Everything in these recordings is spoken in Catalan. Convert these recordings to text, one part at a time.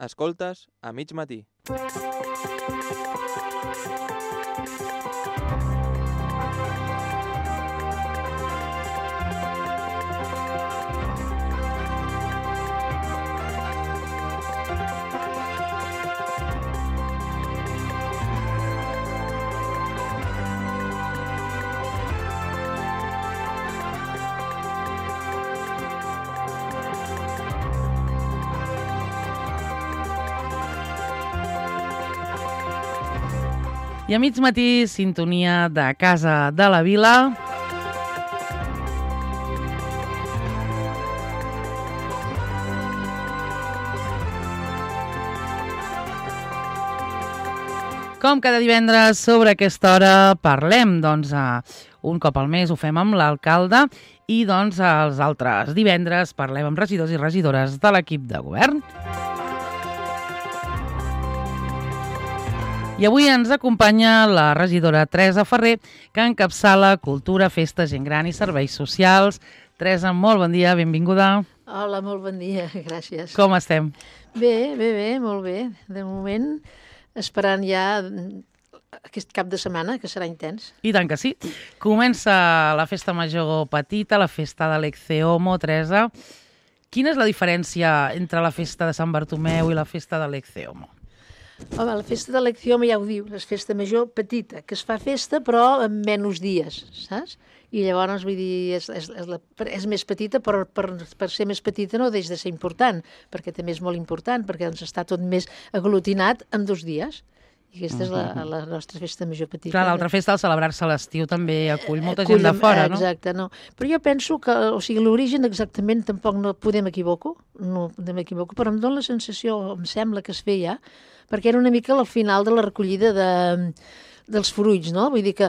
Escoltes a mig matí. I a mig matí, sintonia de Casa de la Vila. Com cada divendres, sobre aquesta hora parlem, un cop al mes ho fem amb l'alcalde i els altres divendres parlem amb regidors i regidores de l'equip de govern. I avui ens acompanya la regidora Teresa Ferrer, que encapçala Cultura, Festa, Gent Gran i Serveis Socials. Teresa, molt bon dia, benvinguda. Hola, molt bon dia, gràcies. Com estem? Bé, molt bé. De moment, esperant ja aquest cap de setmana, que serà intens. I tant que sí. Comença la festa major petita, la festa de l'Ecceomo, Teresa. Quina és la diferència entre la festa de Sant Bartomeu i la festa de l'Ecceomo? Home, la festa de l'Ecceomo ja ho diu, és festa major petita, que es fa festa però en menys dies, saps? I llavors, vull dir, és més petita, però per ser més petita no deixa de ser important, perquè també és molt important, perquè està tot més aglutinat en 2 dies. I aquesta és la nostra festa major petita. Clar, l'altra festa, al celebrar-se a l'estiu, també acull molta gent de fora, no? Exacte, no. Però jo penso que, l'origen exactament tampoc no podem equivocar, però em dóna la sensació, em sembla que es feia, perquè era una mica al final de la recollida dels fruits, no? Vull dir que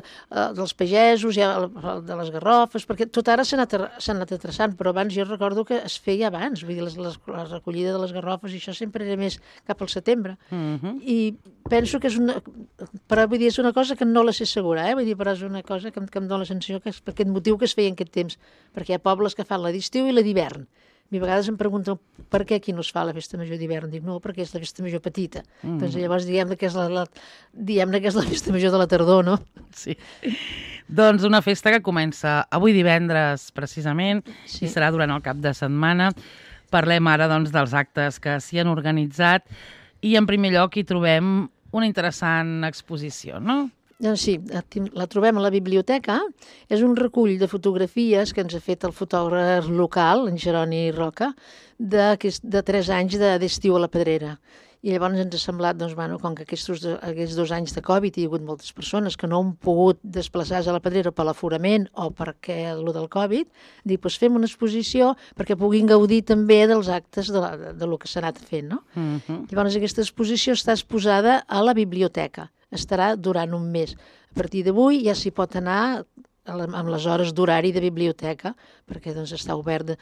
dels pagesos, de les garrofes, perquè tot ara s'ha anat atrasant, però abans jo recordo que es feia abans, vull dir, la recollida de les garrofes i això sempre era més cap al setembre. I penso que és una cosa que no la sé segura, vull dir, però és una cosa que em dóna la sensació que és per aquest motiu que es feia en aquest temps, perquè hi ha pobles que fan la d'estiu i la d'hivern. A vegades em pregunten per què aquí no es fa la festa major d'hivern. Dic, no, perquè és la festa major petita. Doncs llavors diguem que és la festa major de la tardor, no? Sí. Doncs una festa que comença avui divendres, precisament, i serà durant el cap de setmana. Parlem ara, dels actes que s'hi han organitzat i, en primer lloc, hi trobem una interessant exposició, no? Doncs sí, la trobem a la biblioteca. És un recull de fotografies que ens ha fet el fotògraf local, en Jeroni Roca, de 3 anys d'estiu a la Pedrera. I llavors ens ha semblat, com que aquests 2 anys de Covid hi ha hagut moltes persones que no han pogut desplaçar-se a la Pedrera per l'aforament o perquè el del Covid, fem una exposició perquè puguin gaudir també dels actes de lo que s'ha anat fent, no? Llavors aquesta exposició està exposada a la biblioteca. Estarà durant un mes. A partir d'avui ja s'hi pot anar amb les hores d'horari de biblioteca, perquè està obert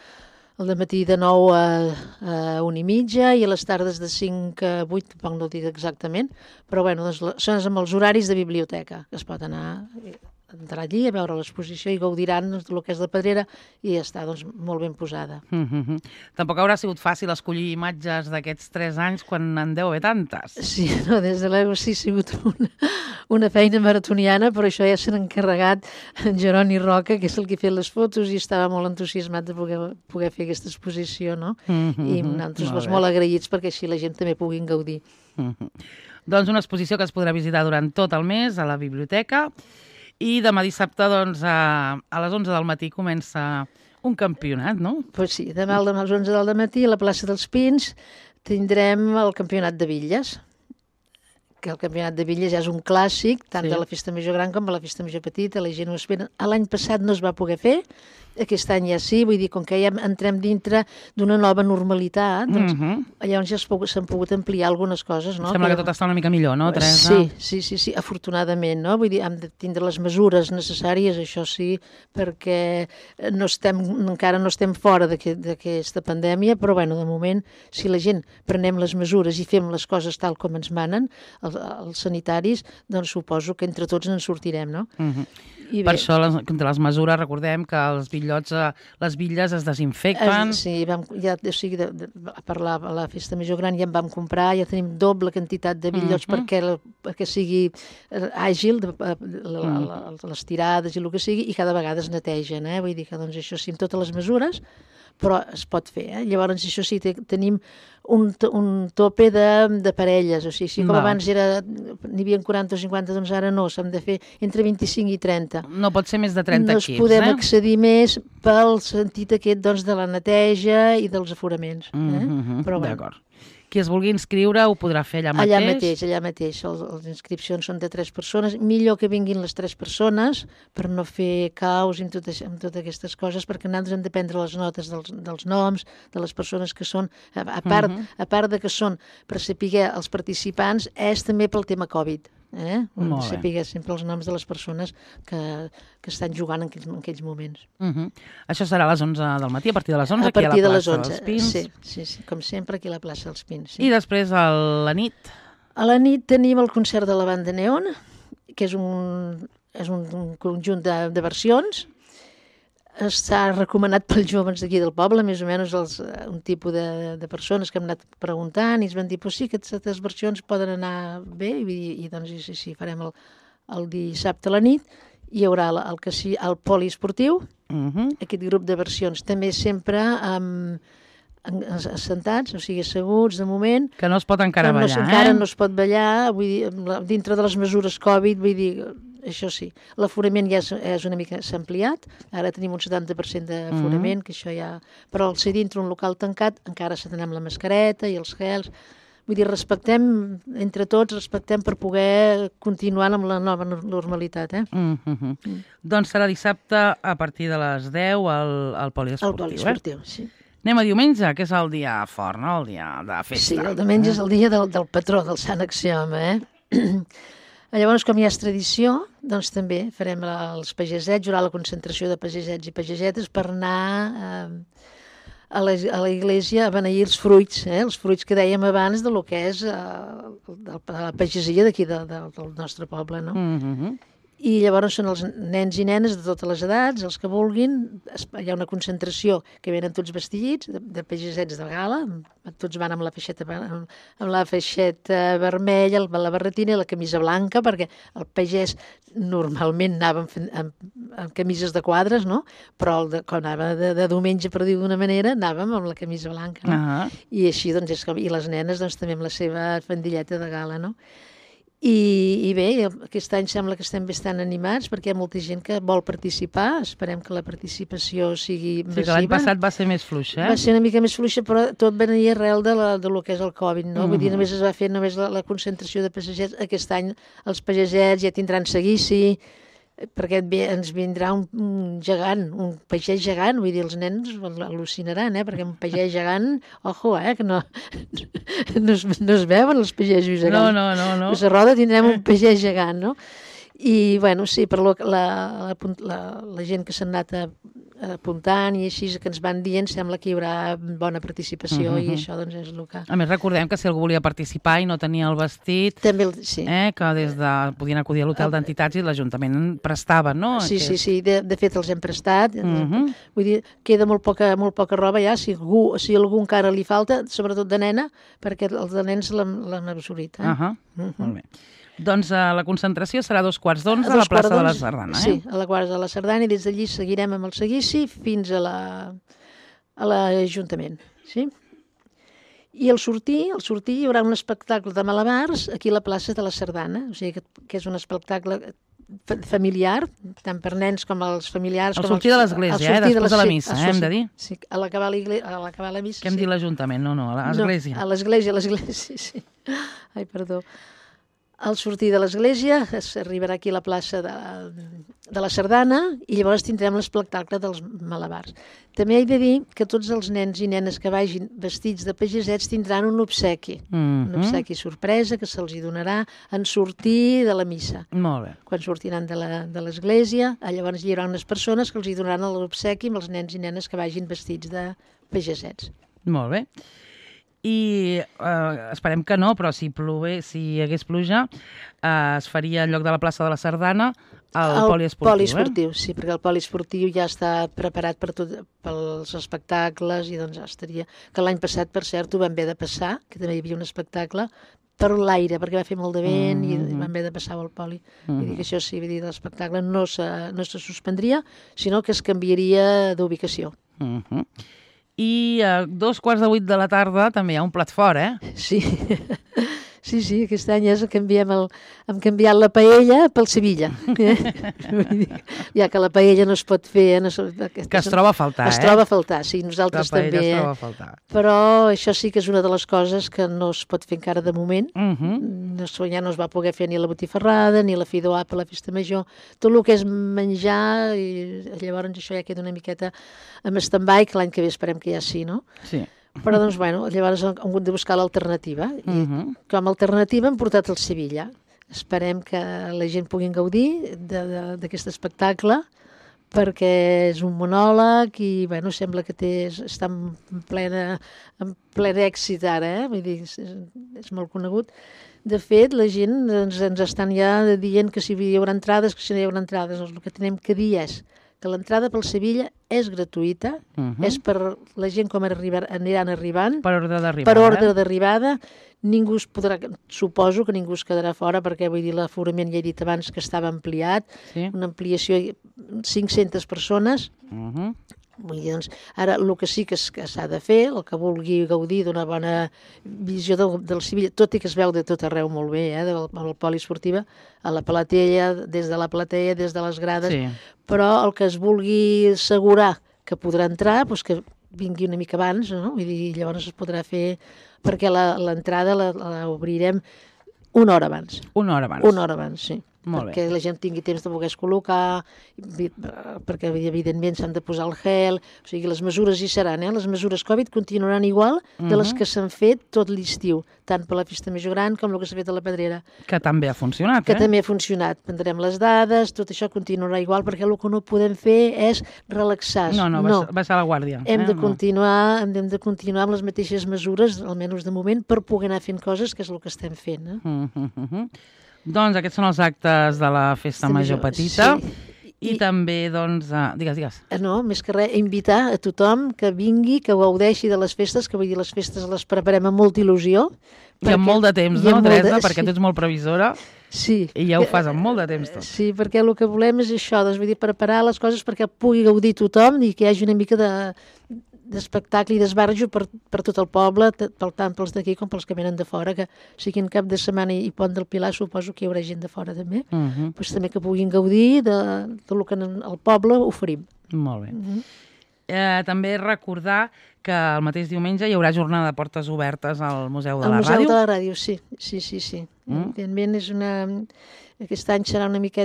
al matí de 9 a 1:30 i a les tardes de 5 a 8, tampoc no ho dic exactament, però són amb els horaris de biblioteca, que es pot entrar allí a veure l'exposició i gaudiran del que és la Pedrera i ja està molt ben posada. Tampoc haurà sigut fàcil escollir imatges d'aquests 3 anys quan en deu haver tantes. Sí, no, des de l'ego sí ha sigut una feina maratoniana, però això ja s'ha encarregat en Jeroni Roca, que és el que ha fet les fotos i estava molt entusiasmat de poder fer aquesta exposició, no? I nosaltres molt agraïts perquè així la gent també puguin gaudir. Doncs una exposició que es podrà visitar durant tot el mes a la biblioteca. I demà dissabte, a les 11 del matí, comença un campionat, no? Doncs sí, demà a les 11 del matí a la plaça dels Pins tindrem el campionat de bitlles, que el campionat de bitlles ja és un clàssic, tant de la festa major gran com de la festa major petita, la gent ho espera. L'any passat no es va poder fer, aquest any ja sí, vull dir, com que ja entrem dintre d'una nova normalitat, llavors ja s'han pogut ampliar algunes coses, no? Sembla que tot està una mica millor, no, Teresa? Sí, afortunadament, no? Vull dir, hem de tindre les mesures necessàries, això sí, perquè encara no estem fora d'aquesta pandèmia, però de moment, si la gent prenem les mesures i fem les coses tal com ens manen, els sanitaris, doncs suposo que entre tots ens sortirem, no? I Per bé, això, contra les mesures, recordem que els bitllots, les bitlles es desinfecten. sí, o sigui, per la festa major gran ja en vam comprar, ja tenim doble quantitat de bitllots perquè sigui àgil, les tirades i el que sigui, i cada vegada es netegen, vull dir que doncs, això sí, amb totes les mesures, però es pot fer. Llavors, això sí, tenim un tope de parelles, o sigui, si com abans n'hi havia 40 o 50, doncs ara no, s'han de fer entre 25 i 30. No pot ser més de 30 equips, No es podem accedir més pel sentit aquest doncs, de la neteja i dels aforaments. Però bueno. D'acord. Qui es vulgui inscriure ho podrà fer allà mateix? Allà mateix. Les inscripcions són de 3 persones. Millor que vinguin les 3 persones per no fer caos amb totes aquestes coses, perquè nosaltres hem de prendre les notes dels noms, de les persones que són, a part de que són per saber els participants, és també pel tema Covid. Saber sempre els noms de les persones que estan jugant en aquells moments. Això serà a les 11 del matí, a partir de les 11, aquí a la plaça dels Pins. Sí, com sempre, aquí a la plaça dels Pins. I després a la nit? A la nit tenim el concert de la banda Neon, que és un conjunt de versions. Està recomanat pels joves d'aquí del poble, més o menys un tipus de persones que hem anat preguntant i ens van dir, sí, que aquestes versions poden anar bé, i doncs sí, farem el dissabte a la nit. Hi haurà el poliesportiu, aquest grup de versions, també sempre assentats, o sigui, asseguts de moment. Que no es pot encara ballar, Encara no es pot ballar, vull dir, dintre de les mesures Covid, vull dir, això sí. L'aforament ja és una mica s'ha ampliat, ara tenim un 70% d'aforament, que això ja... Però al ser dintre un local tancat, encara s'ha d'anar amb la mascareta i els gels. Vull dir, entre tots, per poder continuar amb la nova normalitat, Doncs serà dissabte a partir de les 10 al poliesportiu, El poliesportiu, sí. Anem a diumenge, que és el dia fort, no? El dia de festa. Sí, el diumenge és el dia del patró, del Sant Axioma, Llavors, com ja és tradició, doncs també farem els pagesets, hi haurà la concentració de pagesets i pagesetes per anar a la iglesia a beneir els fruits que dèiem abans de lo que és la pagesia d'aquí del nostre poble, no? I llavors són els nens i nenes de totes les edats, els que vulguin. Hi ha una concentració que venen tots vestits de pagesets de gala, tots van amb la feixeta vermella, la barretina i la camisa blanca, perquè el pagès normalment anava amb camises de quadres, no? Però quan anava de diumenge, per dir d'una manera, anàvem amb la camisa blanca. No? I així, doncs, i les nenes doncs, també amb la seva faldilleta de gala, no? I bé, aquest any sembla que estem bastant animats perquè hi ha molta gent que vol participar. Esperem que la participació sigui massiva. Sí, que l'any passat va ser més fluixa, Va ser una mica més fluixa, però tot venia arrel de lo que és el Covid, no? Vull dir, només es va fer la concentració de pagesets. Aquest any els pagesets ja tindran seguici, perquè ens vindrà un gegant, un pagès gegant, vull dir, els nens al·lucinaran, perquè un pagès gegant, ojo, que no es veuen els pagesos gegants. No. A Roda tindrem un pagès gegant, no? I, bueno, sí, per la gent que s'ha anat apuntant i així que ens van dient, sembla que hi haurà bona participació i això doncs és el que... A més, recordem que si algú volia participar i no tenia el vestit, també, sí. Que podien acudir a l'hotel d'entitats i l'Ajuntament prestava, no? Sí. De fet els hem prestat. Vull dir, queda molt poca roba ja, si algú encara li falta, sobretot de nena, perquè els de nens l'han absorbit. Molt bé. Doncs la concentració serà a 2:15 a la plaça de la Sardana. Sí, a la plaça de la Sardana, i des d'allí seguirem amb el seguici fins a l'Ajuntament. Sí? I al sortir hi haurà un espectacle de malabars aquí a la plaça de la Sardana, o sigui que és un espectacle familiar, tant per nens com els familiars. Al sortir de l'església, després de la missa, hem de dir. Sí, a l'acabar la missa. Què hem dit l'Ajuntament? No, a l'església. A l'església, sí. Ai, perdó. Al sortir de l'església s'arribarà aquí a la plaça de la Sardana i llavors tindrem l'espectacle dels malabars. També he de dir que tots els nens i nenes que vagin vestits de pagesets tindran un obsequi. Un obsequi sorpresa que se'ls donarà en sortir de la missa. Molt bé. Quan sortiran de l'església, llavors hi haurà unes persones que els donaran l'obsequi amb els nens i nenes que vagin vestits de pagesets. Molt bé. i esperem que no, però si hi hagués pluja, es faria en lloc de la plaça de la Sardana el poliesportiu. Poliesportiu, sí, perquè el poliesportiu ja està preparat pels espectacles i doncs ja estaria... Que l'any passat, per cert, ho vam haver de passar, que també hi havia un espectacle, per l'aire, perquè va fer molt de vent i vam haver de passar al poli. Vull dir que això sí, vull dir, l'espectacle no se suspendria, sinó que es canviaria d'ubicació. I a 2:15 de la tarda també hi ha un plat fort, Sí. Sí, aquest any hem canviat la paella pel Sevilla. Ja que la paella no es pot fer... Que es troba a faltar, Es troba a faltar, sí, nosaltres també. La paella es troba a faltar. Però això sí que és una de les coses que no es pot fer encara de moment. Ja no es va poder fer ni la botifarrada, ni la fideuà per la festa major. Tot el que és menjar, i llavors això ja queda una miqueta amb stand-by, que l'any que ve esperem que ja sí, no? Sí. Però doncs, bueno, llavors hem hagut de buscar l'alternativa. I com a alternativa hem portat el Sevilla. Esperem que la gent pugui gaudir d'aquest espectacle, perquè és un monòleg i, bueno, sembla que està en ple èxit ara, vull dir, és molt conegut. De fet, la gent ens estan ja dient que si hi haurà entrades, que si no hi haurà entrades. El que tenim que dir és que l'entrada pel Sevilla és gratuïta, és per la gent com aniran arribant. Per ordre d'arribada. Per ordre d'arribada. Ningú es podrà, suposo que ningú es quedarà fora, perquè vull dir, l'aforament ja he dit abans que estava ampliat, una ampliació de 500 persones. Vull dir, doncs, ara el que sí que s'ha de fer, el que vulgui gaudir d'una bona visió del Sevilla, tot i que es veu de tot arreu molt bé, del poliesportiva, a la Palatella, des de la Platea, des de les grades, però el que es vulgui assegurar que podrà entrar, doncs que vingui una mica abans, no? Vull dir, llavors es podrà fer, perquè l'entrada la obrirem una hora abans. Una hora abans. Una hora abans, sí. Perquè la gent tingui temps de poder col·locar, perquè evidentment s'han de posar el gel, o sigui, les mesures hi seran, les mesures Covid continuaran igual de les que s'han fet tot l'estiu, tant per la festa major gran com el que s'ha fet a la Pedrera. Que també ha funcionat, Que també ha funcionat. Prendrem les dades, tot això continuarà igual, perquè el que no podem fer és relaxar. No, baixar la guàrdia. Hem de continuar amb les mateixes mesures, almenys de moment, per poder anar fent coses, que és el que estem fent. Doncs aquests són els actes de la Festa Major Petita. I també, doncs... Digues. No, més que res, invitar a tothom que vingui, que gaudeixi de les festes, que vull dir, les festes les preparem amb molta il·lusió. I amb molt de temps, no, Teresa? Perquè tu ets molt previsora. Sí. I ja ho fas amb molt de temps, tot. Sí, perquè el que volem és això, doncs, vull dir, preparar les coses perquè pugui gaudir tothom i que hi hagi una mica d'espectacle i d'esbarjo per tot el poble, tant pels d'aquí com pels que venen de fora, que siguin cap de setmana i Pont del Pilar, suposo que hi haurà gent de fora també, doncs també que puguin gaudir de el que el poble oferim. Molt bé. També recordar que el mateix diumenge hi haurà jornada de portes obertes al Museu de la Ràdio. Al Museu de la Ràdio, sí. Evidentment aquest any serà una mica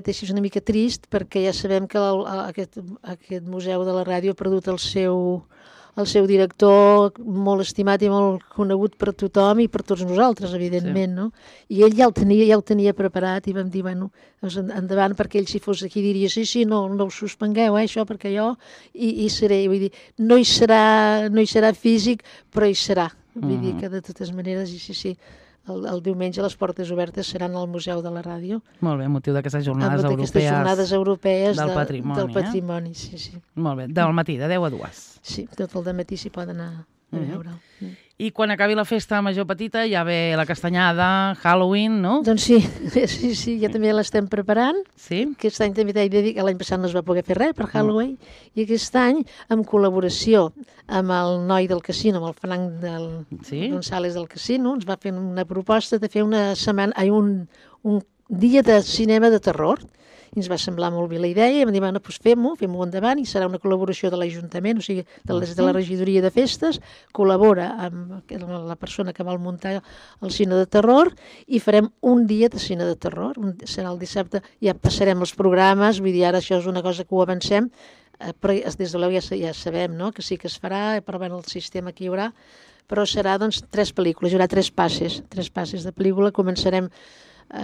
trist, perquè ja sabem que aquest Museu de la Ràdio ha perdut el seu director molt estimat i molt conegut per tothom i per tots nosaltres, evidentment, no? I ell ja ho tenia preparat i vam dir, bueno, endavant, perquè ell si fos aquí diria, sí, no ho suspengueu, això, perquè jo hi seré. Vull dir, no hi serà físic, però hi serà. Vull dir que de totes maneres, sí, el diumenge les portes obertes seran al Museu de la Ràdio. Molt bé, motiu d'aquestes jornades europees del patrimoni. Sí. Molt bé, del matí, de 10 a 2. Sí, tot el dematí s'hi poden anar a veure. I quan acabi la Festa Major Petita ja ve la castanyada, Halloween, no? Doncs sí, ja també l'estem preparant. Sí? Aquest any també t'he de dir que l'any passat no es va poder fer res per Halloween, i aquest any, en col·laboració amb el noi del casino, amb el Frank González del casino, ens va fer una proposta de fer un dia de cinema de terror. I ens va semblar molt bé la idea i vam dir, bueno, doncs fem-ho endavant, i serà una col·laboració de l'Ajuntament, o sigui, de la regidoria de festes, col·labora amb la persona que vol muntar el cine de terror i farem un dia de cine de terror, serà el dissabte, ja passarem els programes, vull dir, ara això és una cosa que ho avancem, però des de l'EU ja sabem, no?, que sí que es farà, però bueno, el sistema que hi haurà, però serà, doncs, 3 pel·lícules, hi haurà 3 passes de pel·lícula, començarem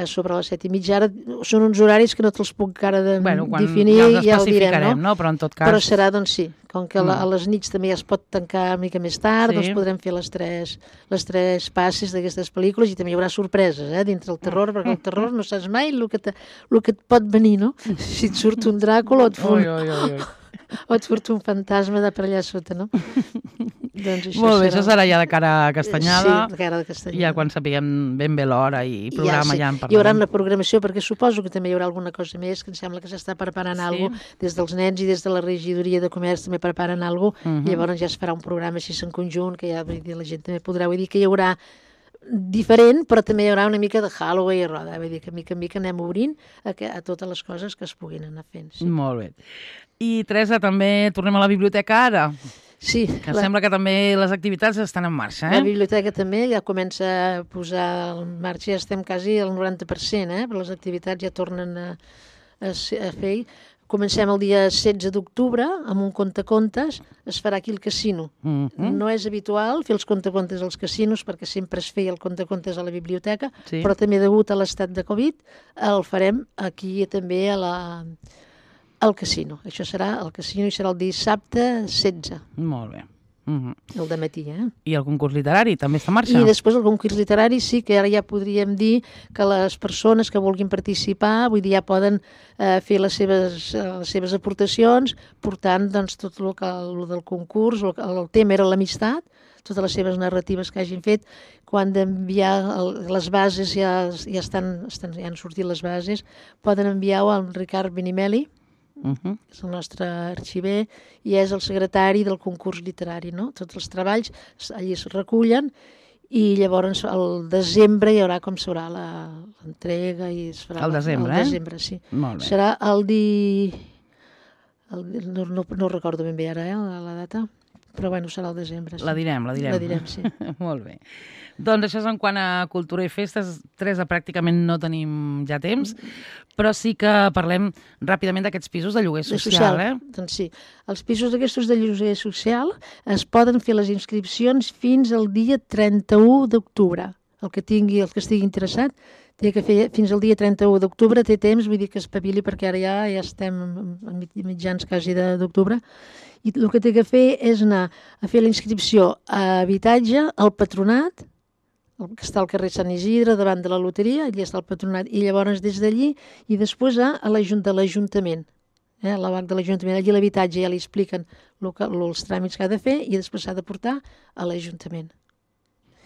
sobre les 7:30. Ara són uns horaris que no te'ls puc encara definir, ja els ja ho direm, especificarem, no? Però en tot cas... Però serà, doncs sí, com que a les nits també ja es pot tancar una mica més tard, doncs podrem fer les tres passes d'aquestes pel·lícules i també hi haurà sorpreses, dintre el terror, perquè el terror no saps mai el que et pot venir, no? Si et surt un Dràcula o et surt un fantasma de per allà sota, no? Doncs això molt bé, això serà ja de cara a Castanyada. Sí, de cara a Castanyada. Ja quan sapiguem ben bé l'hora i programa ja en parlarem. Hi haurà una programació, perquè suposo que també hi haurà alguna cosa més, que em sembla que s'està preparant alguna cosa, des dels nens i des de la regidoria de comerç també preparen alguna cosa, i llavors ja es farà un programa així en conjunt, que ja la gent també podrà, vull dir que hi haurà diferent, però també hi haurà una mica de Halloween i roda, vull dir que mica en mica anem obrint a totes les coses que es puguin anar fent. Sí. Molt bé. I Teresa, també tornem a la biblioteca ara? Sí. Que sembla que també les activitats estan en marxa, La biblioteca també ja comença a posar en marxa, ja estem quasi al 90%, però les activitats ja tornen a fer. Comencem el dia 16 d'octubre amb un contacontes, es farà aquí al casino. No és habitual fer els contacontes als casinos perquè sempre es feia el contacontes a la biblioteca, però també degut a l'estat de Covid el farem aquí també al casino. Això serà al casino i serà el dissabte 16. Molt bé. El dematí, I el concurs literari també està en marxa? I després el concurs literari sí que ara ja podríem dir que les persones que vulguin participar, vull dir, ja poden fer les seves aportacions, portant doncs, tot el del concurs, el tema era l'amistat, totes les seves narratives que hagin fet, quan d'enviar les bases ja han sortit les bases, poden enviar-ho al Ricard Benimeli, que és el nostre arxiver, i és el secretari del concurs literari, no? Tots els treballs allí es recullen i llavors al desembre hi haurà com serà l'entrega i es farà... Al desembre, Al desembre, sí. Molt bé. Serà no recordo ben bé ara, la data, però bueno, serà al desembre. Sí. La direm. La direm, sí. Molt bé. Doncs això és en quant a cultura i festes. Teresa, pràcticament no tenim ja temps, però sí que parlem ràpidament d'aquests pisos de lloguer social. Doncs sí, els pisos aquests de lloguer social es poden fer les inscripcions fins al dia 31 d'octubre. El que estigui interessat té que fer fins al dia 31 d'octubre, té temps, vull dir que espavili perquè ara ja estem a mitjans quasi d'octubre, i el que té que fer és anar a fer la inscripció a habitatge, al patronat, que està al carrer Sant Isidre, davant de la loteria, allà està el patronat, i llavors des d'allí, i després a l'Ajuntament, a la BAC de l'Ajuntament, allí a l'habitatge ja li expliquen els tràmits que ha de fer i després s'ha de portar a l'Ajuntament.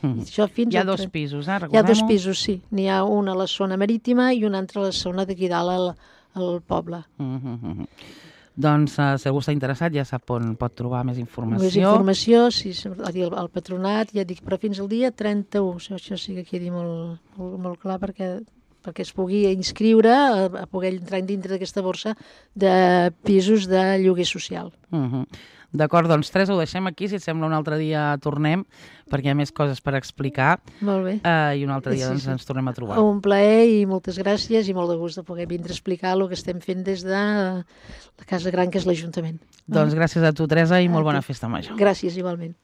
Hi ha dos pisos, recordem-ho? Hi ha dos pisos, sí. N'hi ha un a la zona marítima i un altre a la zona d'aquí dalt al poble. Doncs, si algú està interessat, ja sap on pot trobar més informació. Més informació, sí, al patronat, ja dic, però fins al dia 31. Això sí que quedi molt clar perquè es pugui inscriure, a poder entrar dintre d'aquesta borsa de pisos de lloguer social. D'acord, doncs Teresa, ho deixem aquí, si et sembla un altre dia tornem, perquè hi ha més coses per explicar. Molt bé. I un altre dia ens tornem a trobar. Un plaer i moltes gràcies i molt de gust de poder vindre a explicar el que estem fent des de la Casa Gran, que és l'Ajuntament. Doncs gràcies a tu, Teresa, i molt bona festa major. Gràcies, igualment.